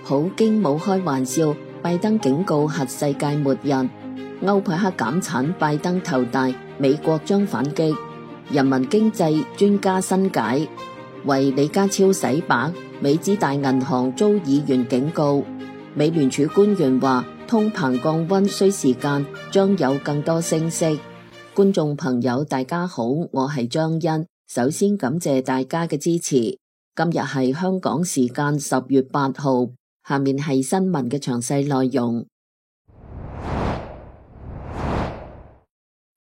普京冇開玩笑，拜登警告核世界末日。歐佩克減產，拜登頭大，美國將反擊。人民經濟專家新解，為李家超洗白，美資大銀行遭議員警告。美聯儲官員話，通膨降溫需時間，將有更多升息。觀眾朋友大家好，我係張欣，首先感謝大家嘅支持。今日係香港時間10月8號，下面係新聞嘅詳細內容。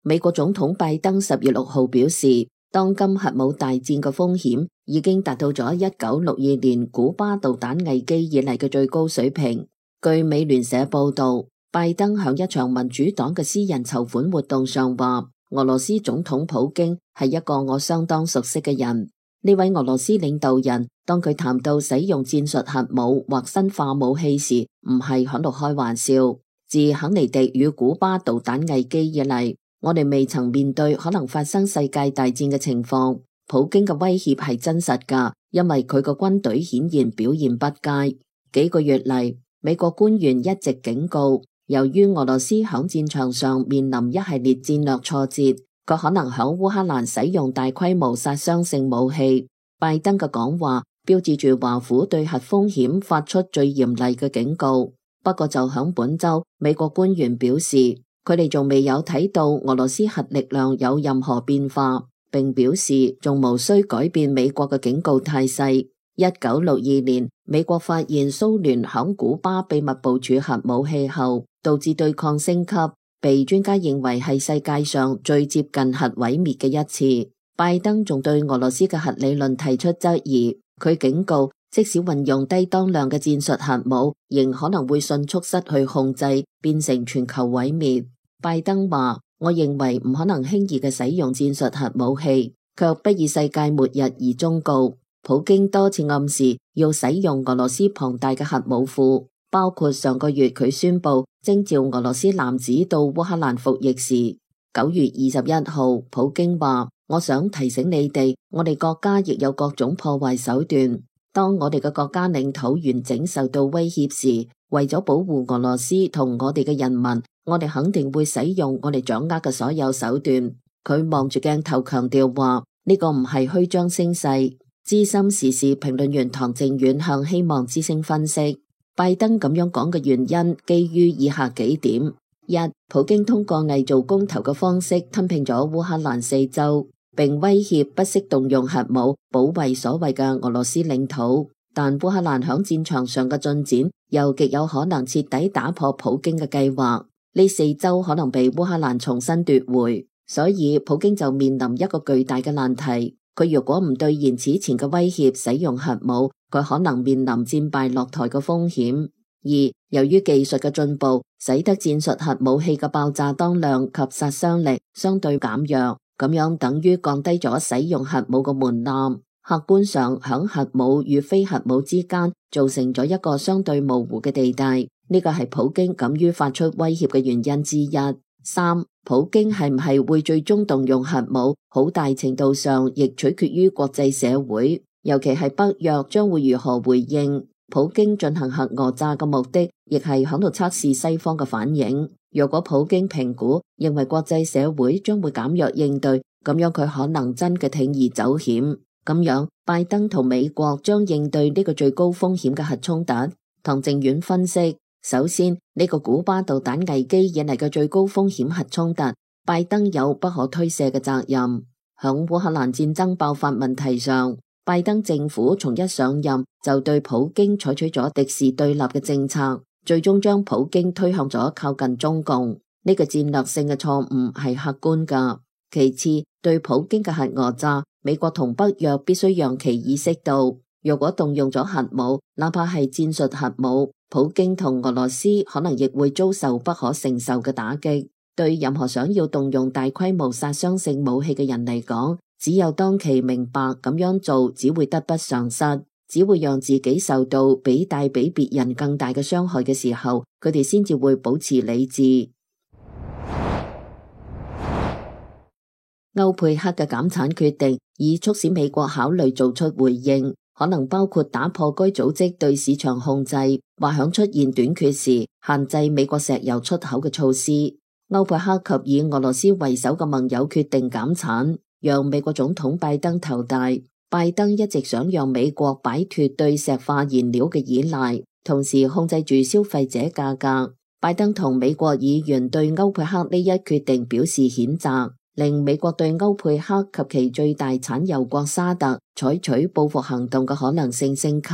美國總統拜登10月6號表示，當今核武大戰嘅風險已經達到咗1962年古巴導彈危機以嚟嘅最高水平。據美聯社報道，拜登響一場民主黨嘅私人籌款活動上話，俄羅斯總統普京係一個我相當熟悉嘅人。呢位俄羅斯領導人，當佢談到使用戰術核武或生化武器時，唔係喺度開玩笑。自肯尼迪與古巴導彈危機以嚟，我哋未曾面對可能發生世界大戰嘅情況。普京嘅威脅係真實㗎，因為佢個軍隊顯然表現不佳。幾個月嚟，美國官員一直警告，由於俄羅斯響戰場上面臨一系列戰略挫折，佢可能響烏克蘭使用大規模殺傷性武器。拜登嘅講話標誌住華府對核風險發出最嚴厲嘅警告。不過就響本週，美國官員表示，佢哋仲未有睇到俄羅斯核力量有任何變化，並表示仲無需改變美國嘅警告態勢。1962年，美國發現蘇聯響古巴秘密部署核武器後，導致對抗升級，被專家認為係世界上最接近核毀滅嘅一次。拜登仲對俄羅斯嘅核理論提出質疑，佢警告，即使運用低當量嘅戰術核武，仍可能會迅速失去控制，變成全球毀滅。拜登話，我認為唔可能輕易嘅使用戰術核武器，卻不以世界末日而終告。普京多次暗示要使用俄羅斯龐大嘅核武庫，包括上個月佢宣布徵召俄羅斯男子到烏克蘭服役時。9月21號，普京話，我想提醒你哋，我哋國家亦有各種破壞手段。當我哋嘅國家領土完整受到威脅時，為咗保護俄羅斯同我哋嘅人民，我哋肯定會使用我哋掌握嘅所有手段。佢望住鏡頭強調話，呢個唔係虛張聲勢。資深時事評論員唐靖遠向希望之聲分析，拜登咁樣講嘅原因基於以下幾點：一、普京通過偽造公投嘅方式吞併咗烏克蘭4州，並威脅不惜動用核武保衛所謂嘅俄羅斯領土，但烏克蘭響戰場上嘅進展又極有可能徹底打破普京嘅計劃，呢4州可能被烏克蘭重新奪回，所以普京就面臨一個巨大嘅難題。佢如果唔兌現此前嘅威脅，使用核武，佢可能面臨戰敗落台嘅風險。二、由於技術嘅進步，使得戰術核武器嘅爆炸當量及殺傷力相對減弱，咁樣等於降低咗使用核武嘅門檻。客觀上，響核武與非核武之間造成咗一個相對模糊嘅地帶，呢個係普京敢於發出威脅嘅原因之一。三、普京係唔係會最終動用核武，好大程度上亦取決於國際社會，尤其係北約將會如何回應。普京進行核訛詐嘅目的，亦係響度測試西方嘅反應。若果普京評估認為國際社會將會減弱應對，咁樣佢可能真嘅鋌而走險。咁樣，拜登同美國將應對呢個最高風險嘅核衝突。唐靖遠分析。首先，呢個古巴導彈危機引嚟嘅最高風險核衝突，拜登有不可推卸嘅責任。響烏克蘭戰爭爆發問題上，拜登政府從一上任就對普京採取咗敵視對立嘅政策，最終將普京推向咗靠近中共。呢個戰略性嘅錯誤係客觀㗎。其次，對普京嘅核訛詐，美國同北約必須讓其意識到，若果動用咗核武，哪怕係戰術核武，普京同俄羅斯可能亦會遭受不可承受嘅打擊。對任何想要動用大規模殺傷性武器嘅人嚟講，只有當其明白咁樣做只會得不償失，只會讓自己受到帶比別人更大嘅傷害嘅時候，佢哋先至會保持理智。歐佩克嘅減產決定已促使美國考慮做出回應。可能包括打破該組織對市場控制，或響出現短缺時限制美國石油出口嘅措施。歐佩克及以俄羅斯為首嘅盟友決定減產，讓美國總統拜登頭大。拜登一直想讓美國擺脫對石化燃料嘅依賴，同時控制住消費者價格。拜登同美國議員對歐佩克呢一決定表示譴責，令美國對歐佩克及其最大產油國沙特採取報復行動嘅可能性升級。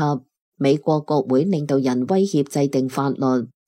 美國國會領導人威脅制定法律，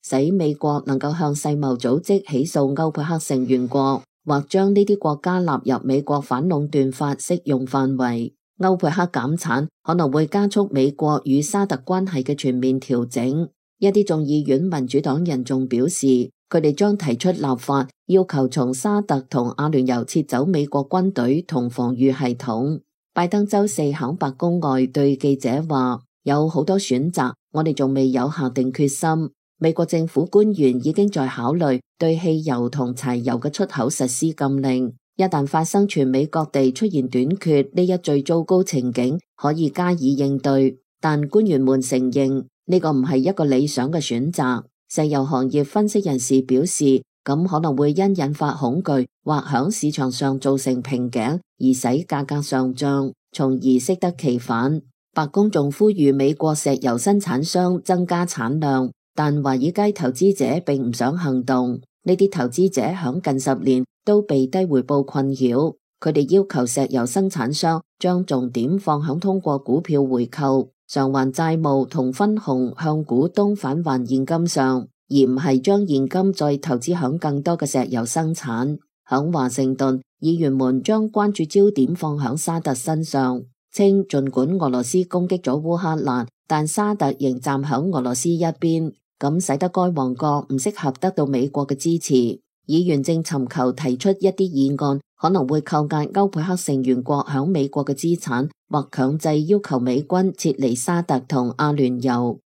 使美國能夠向世貿組織起訴歐佩克成員國，或將呢啲國家納入美國反壟斷法適用範圍。歐佩克減產可能會加速美國與沙特關係嘅全面調整。一啲眾議院民主黨人仲表示，佢哋將提出立法，要求從沙特同阿聯酋撤走美國軍隊同防禦系統。拜登周四響白宮外對記者話，有好多選擇，我哋仲未有下定決心。美國政府官員已經在考慮對汽油同柴油嘅出口實施禁令。一旦發生全美各地出現短缺呢一最糟糕情景，可以加以應對，但官員們承認呢個唔係一個理想嘅選擇。石油行業分析人士表示，咁可能會因引發恐懼或響市場上造成瓶頸而使價格上漲，從而適得其反。白宮仲呼籲美國石油生產商增加產量，但華爾街投資者並唔想行動。呢啲投資者響近10年都被低回報困擾，佢哋要求石油生產商將重點放響通過股票回購、償還債務同分紅向股東返還現金上，而唔係將現金再投資響更多嘅石油生產。響華盛頓，議員們將關注焦點放響沙特身上，稱盡管俄羅斯攻擊咗烏克蘭，但沙特仍站響俄羅斯一邊，咁使得該王國唔適合得到美國嘅支持。議員正尋求提出一啲議案，可能會扣押歐佩克成員國響美國嘅資產，或強制要求美軍撤離沙特同阿聯酋。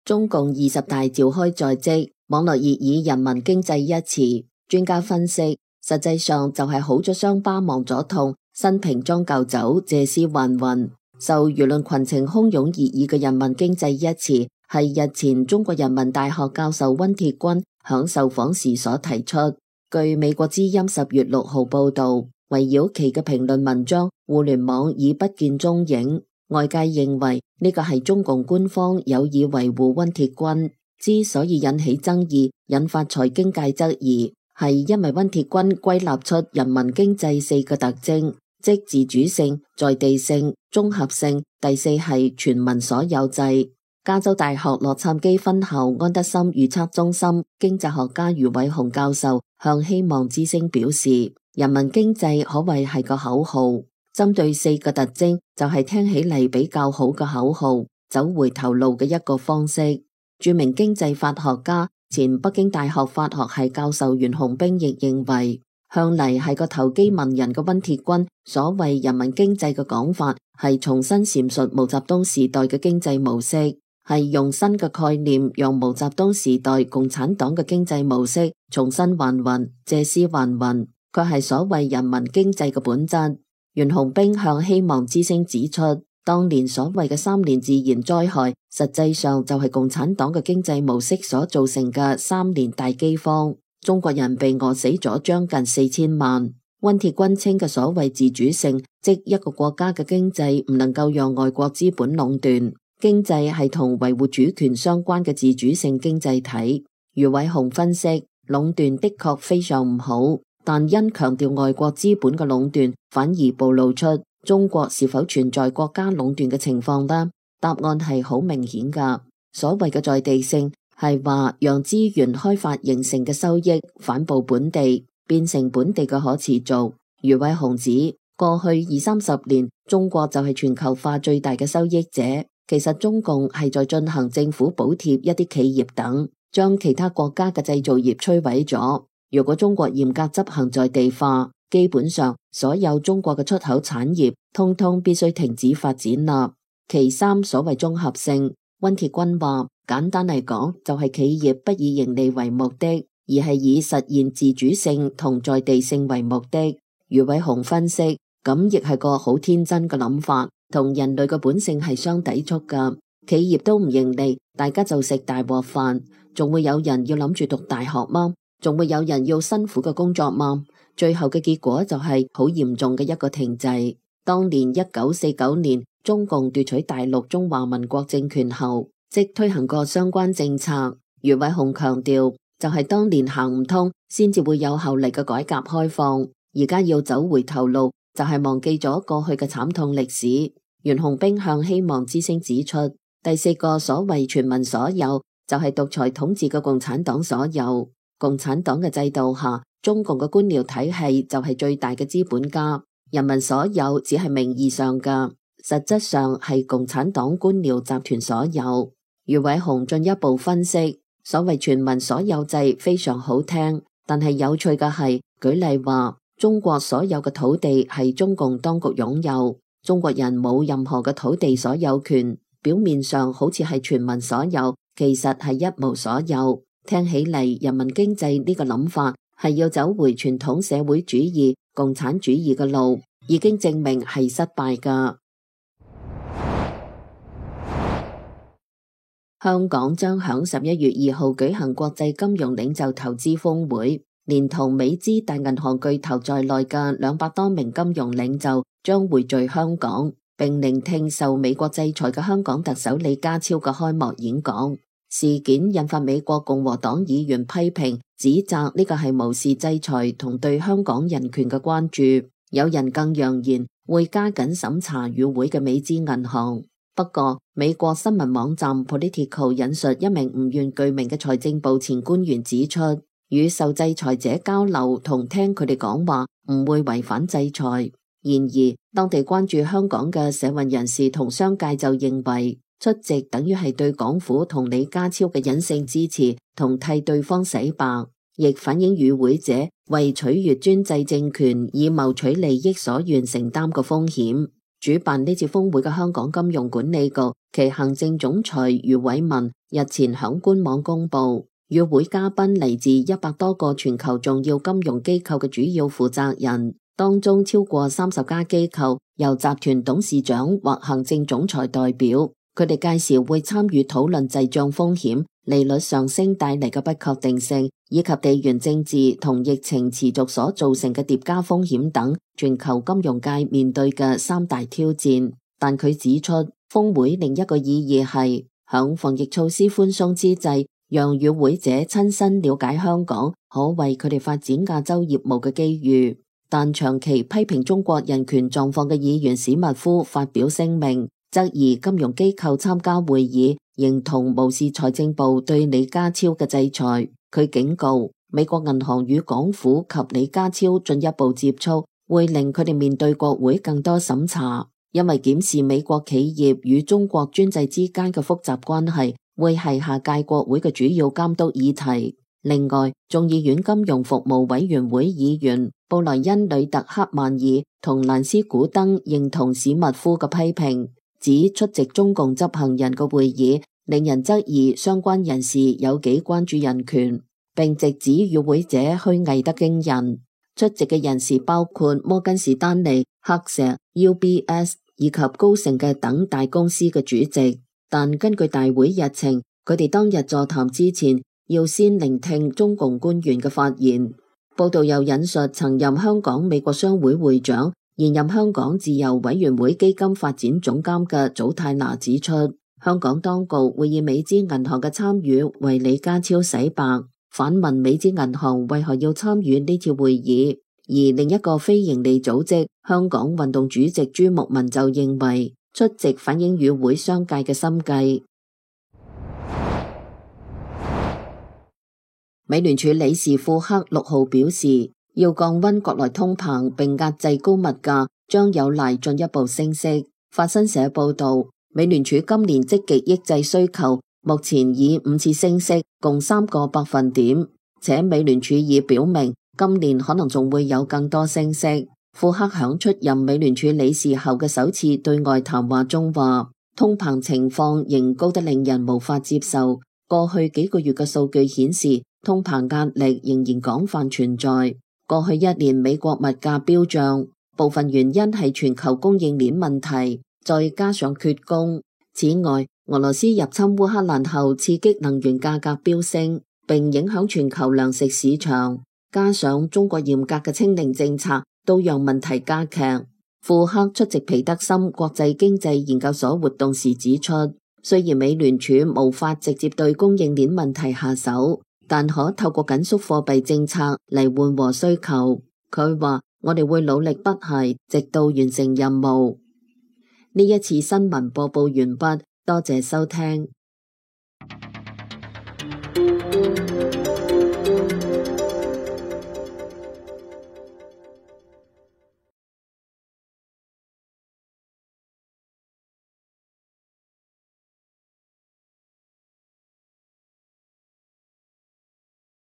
中共20大召開在即，網絡熱議人民經濟一詞。專家分析，實際上就係好咗傷疤忘咗痛，新瓶裝舊酒，借屍還魂。受輿論群情洶湧熱議嘅人民經濟一詞，係日前中國人民大學教授溫鐵軍響受訪時所提出。據美國之音10月6號報道，圍繞其嘅評論文章，互聯網已不見蹤影。外界認為呢個係中共官方有意維護溫鐵軍。之所以引起爭議，引發財經界質疑，係因為溫鐵軍歸納出人民經濟4個特徵，即自主性、在地性、綜合性，第四係全民所有制。加州大學洛杉磯分校安德森預測中心經濟學家余偉雄教授向希望之聲表示，人民經濟可謂係個口號，針對4個特徵就係聽起嚟比較好嘅口號，走回頭路嘅一個方式。著名經濟法學家、前北京大學法學系教授袁洪兵亦認為，向嚟係個投機文人嘅溫鐵軍所謂人民經濟嘅講法，係重新闡述毛澤東時代嘅經濟模式，係用新嘅概念讓毛澤東時代共產黨嘅經濟模式重新還魂，借屍還魂，卻係所謂人民經濟嘅本質。袁洪兵向希望之聲指出，當年所謂嘅3年自然災害，實際上就係共產黨嘅經濟模式所造成嘅3年大饑荒，中國人被餓死咗將近4000萬。溫鐵軍稱嘅所謂自主性，即一個國家嘅經濟唔能夠讓外國資本壟斷，經濟係同維護主權相關嘅自主性經濟體。余偉雄分析，壟斷的確非常唔好，但因強調外國資本嘅壟斷，反而暴露出中國是否存在國家壟斷嘅情況呢？答案係好明顯㗎。所謂嘅在地性係話讓資源開發形成嘅收益反哺本地，變成本地嘅可持續。余偉雄指，過去20-30年，中國就係全球化最大嘅收益者。其實中共係在進行政府補貼一啲企業等，將其他國家嘅製造業摧毀咗。如果中國嚴格執行在地化，基本上所有中國嘅出口產業通通必須停止發展啦。其3，所謂綜合性，溫鐵軍話，簡單嚟講就係企業不以盈利為目的，而係以實現自主性同在地性為目的。余偉雄分析，咁亦係個好天真嘅諗法，同人類嘅本性係相抵觸噶。企業都唔盈利，大家就食大鍋飯，仲會有人要諗住讀大學嗎？仲會有人要辛苦嘅工作嗎？最後嘅結果就係好嚴重嘅一個停滯。當年1949年中共奪取大陸中華民國政權後，即推行過相關政策。余偉雄強調，就係當年行唔通，先至會有後嚟嘅改革開放。而家要走回頭路，就係忘記咗過去嘅慘痛歷史。袁弘冰向希望之聲指出，第四個所謂全民所有，就係獨裁統治嘅共產黨所有。共產黨嘅制度下，中共嘅官僚體系就係最大嘅資本家。人民所有只係名義上嘅，實質上係共產黨官僚集團所有。余偉雄進一步分析，所謂全民所有制非常好聽，但係有趣嘅係，舉例話中國所有嘅土地係中共當局擁有，中國人冇任何嘅土地所有權。表面上好似係全民所有，其實係一無所有。聽起嚟，人民經濟呢個諗法係要走回傳統社會主義、共產主義嘅路，已經證明係失敗㗎。香港將響11月2號舉行國際金融領袖投資峰會，連同美資大銀行巨頭在內嘅200多名金融領袖將匯聚香港，並聆聽受美國制裁嘅香港特首李家超嘅開幕演講。事件引發美國共和黨議員批評，指責呢個係無視制裁同對香港人權嘅關注。有人更揚言會加緊審查與會嘅美資銀行。不過，美國新聞網站 Politico 引述一名唔願具名嘅財政部前官員指出，與受制裁者交流同聽佢哋講話唔會違反制裁。然而，當地關注香港嘅社運人士同商界就認為，出席等於係對港府同李家超嘅隱性支持同替對方洗白，亦反映與會者為取悅專制政權以謀取利益所願承擔嘅風險。主辦呢次峰會嘅香港金融管理局其行政總裁余偉文日前響官網公布，與會嘉賓嚟自100多個全球重要金融機構嘅主要負責人。當中超過30家機構由集團董事長或行政總裁代表，佢哋屆時會參與討論滯脹風險、利率上升帶嚟嘅不確定性，以及地緣政治同疫情持續所造成嘅疊加風險等全球金融界面對嘅3大挑戰。但佢指出，峰會另一個意義係響防疫措施寬鬆之際，讓與會者親身了解香港，可為佢哋發展亞洲業務嘅機遇。但長期批評中國人權狀況嘅議員史密夫發表聲明，質疑金融機構參加會議，認同無視財政部對李家超嘅制裁。佢警告，美國銀行與港府及李家超進一步接觸，會令佢哋面對國會更多審查，因為檢視美國企業與中國專制之間嘅複雜關係，會係下屆國會嘅主要監督議題。另外，眾議院金融服務委員會議員布萊恩·呂特克曼爾同蘭斯古登認同史密夫嘅批評，指出席中共執行人嘅會議令人質疑相關人士有幾關注人權，並直指與會者虛偽得驚人。出席嘅人士包括摩根士丹利、黑石、UBS 以及高盛嘅等大公司嘅主席，但根據大會日程，佢哋當日座談之前要先聆聽中共官員嘅發言。報道又引述曾任香港美國商會會長、現任香港自由委員會基金發展總監嘅祖泰拿指出，香港當局會以美資銀行嘅參與為李家超洗白，反問美資銀行為何要參與呢次會議。而另一個非營利組織香港運動主席朱牧民就認為，出席反映與會商界嘅心計。美聯儲理事庫克6號表示，要降溫國內通膨並壓制高物價，將有賴進一步升息。法新社報道，美聯儲今年積極抑制需求，目前以5次升息，共3個百分點，且美聯儲已表明今年可能仲會有更多升息。庫克響出任美聯儲理事後嘅首次對外談話中話，通膨情況仍高得令人無法接受。過去幾個月嘅數據顯示，通膨壓力仍然廣泛存在。過去1年美國物價飆漲，部分原因係全球供應鏈問題，再加上缺工。此外，俄羅斯入侵烏克蘭後，刺激能源價格飆升，並影響全球糧食市場。加上中國嚴格嘅清零政策，都讓問題加劇。庫克出席皮德森國際經濟研究所活動時指出，雖然美聯儲無法直接對供應鏈問題下手，但可透過緊縮貨幣政策嚟緩和需求。佢話：我哋會努力不懈，直到完成任務。呢一次新聞播報完畢，多謝收聽。